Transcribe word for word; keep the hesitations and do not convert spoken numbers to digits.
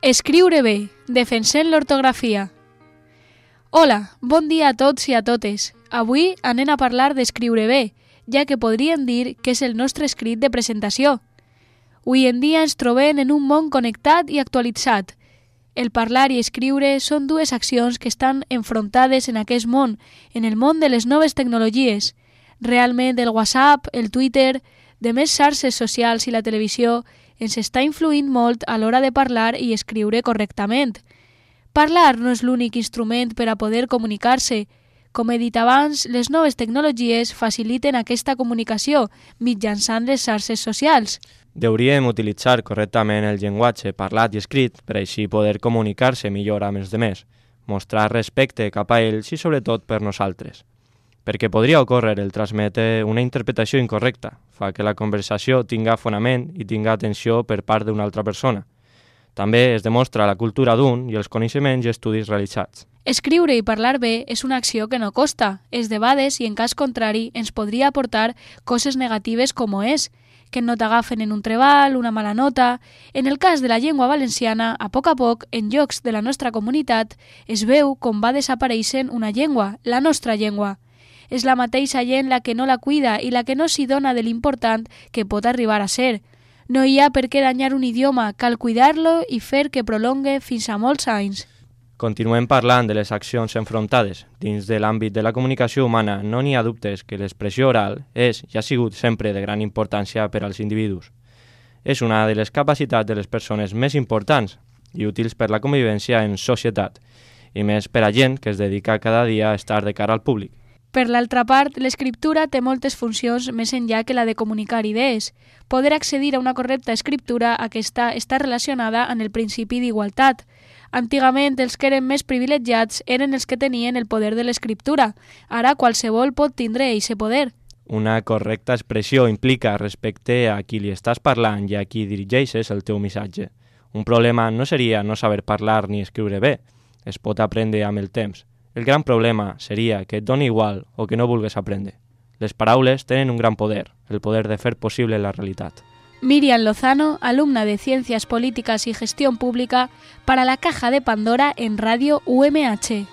Escriure bé, defensant l'ortografia. Hola, bon dia a tots i a totes. Avui anem a parlar d'escriure bé, ja que podríem dir que és el nostre escrit de presentació. Avui en dia ens trobem en un món connectat i actualitzat. El parlar i escriure són dues accions que estan enfrontades en aquest món, en el món de les noves tecnologies. Realment el WhatsApp, el Twitter, de més xarxes socials i la televisió ens està influint molt a l'hora de parlar i escriure correctament. Parlar no és l'únic instrument per a poder comunicar-se. Com he dit abans, les noves tecnologies faciliten aquesta comunicació mitjançant les xarxes socials. Hauríem utilitzar correctament el llenguatge parlat i escrit per així poder comunicar-se millor amb els demés, mostrar respecte cap a ells i sobretot per nosaltres. Perquè podria ocórrer el transmetre una interpretació incorrecta, fa que la conversació tinga fonament i tinga atenció per part d'una altra persona. També es demostra la cultura d'un i els coneixements i estudis realitzats. Escriure i parlar bé és una acció que no costa, es debades i en cas contrari ens podria aportar coses negatives com és, que no t'agafen en un treball, una mala nota. En el cas de la llengua valenciana, a poc a poc, en llocs de la nostra comunitat, es veu com va desapareixent una llengua, la nostra llengua. És la mateixa gent la que no la cuida i la que no s'hi dona de l'important que pot arribar a ser. No hi ha per què danyar un idioma, cal cuidar-lo i fer que prolongue fins a molts anys. Continuem parlant de les accions enfrontades. Dins de l'àmbit de la comunicació humana no n'hi ha dubtes que l'expressió oral és i ha sigut sempre de gran importància per als individus. És una de les capacitats de les persones més importants i útils per la convivència en societat, i més per a gent que es dedica cada dia a estar de cara al públic. Per l'altra part, l'escriptura té moltes funcions més enllà que la de comunicar idees. Poder accedir a una correcta escriptura, aquesta està relacionada amb el principi d'igualtat. Antigament, els que eren més privilegiats eren els que tenien el poder de l'escriptura. Ara qualsevol pot tindre eixe poder. Una correcta expressió implica respecte a qui li estàs parlant i a qui dirigeixes el teu missatge. Un problema no seria no saber parlar ni escriure bé. Es pot aprendre amb el temps. El gran problema seria que et doni igual o que no vulgues aprendre. Les paraules tenen un gran poder, el poder de fer possible la realitat. Miriam Lozano, alumna de Ciencias Políticas y Gestión Pública para la Caja de Pandora en Radio U M H.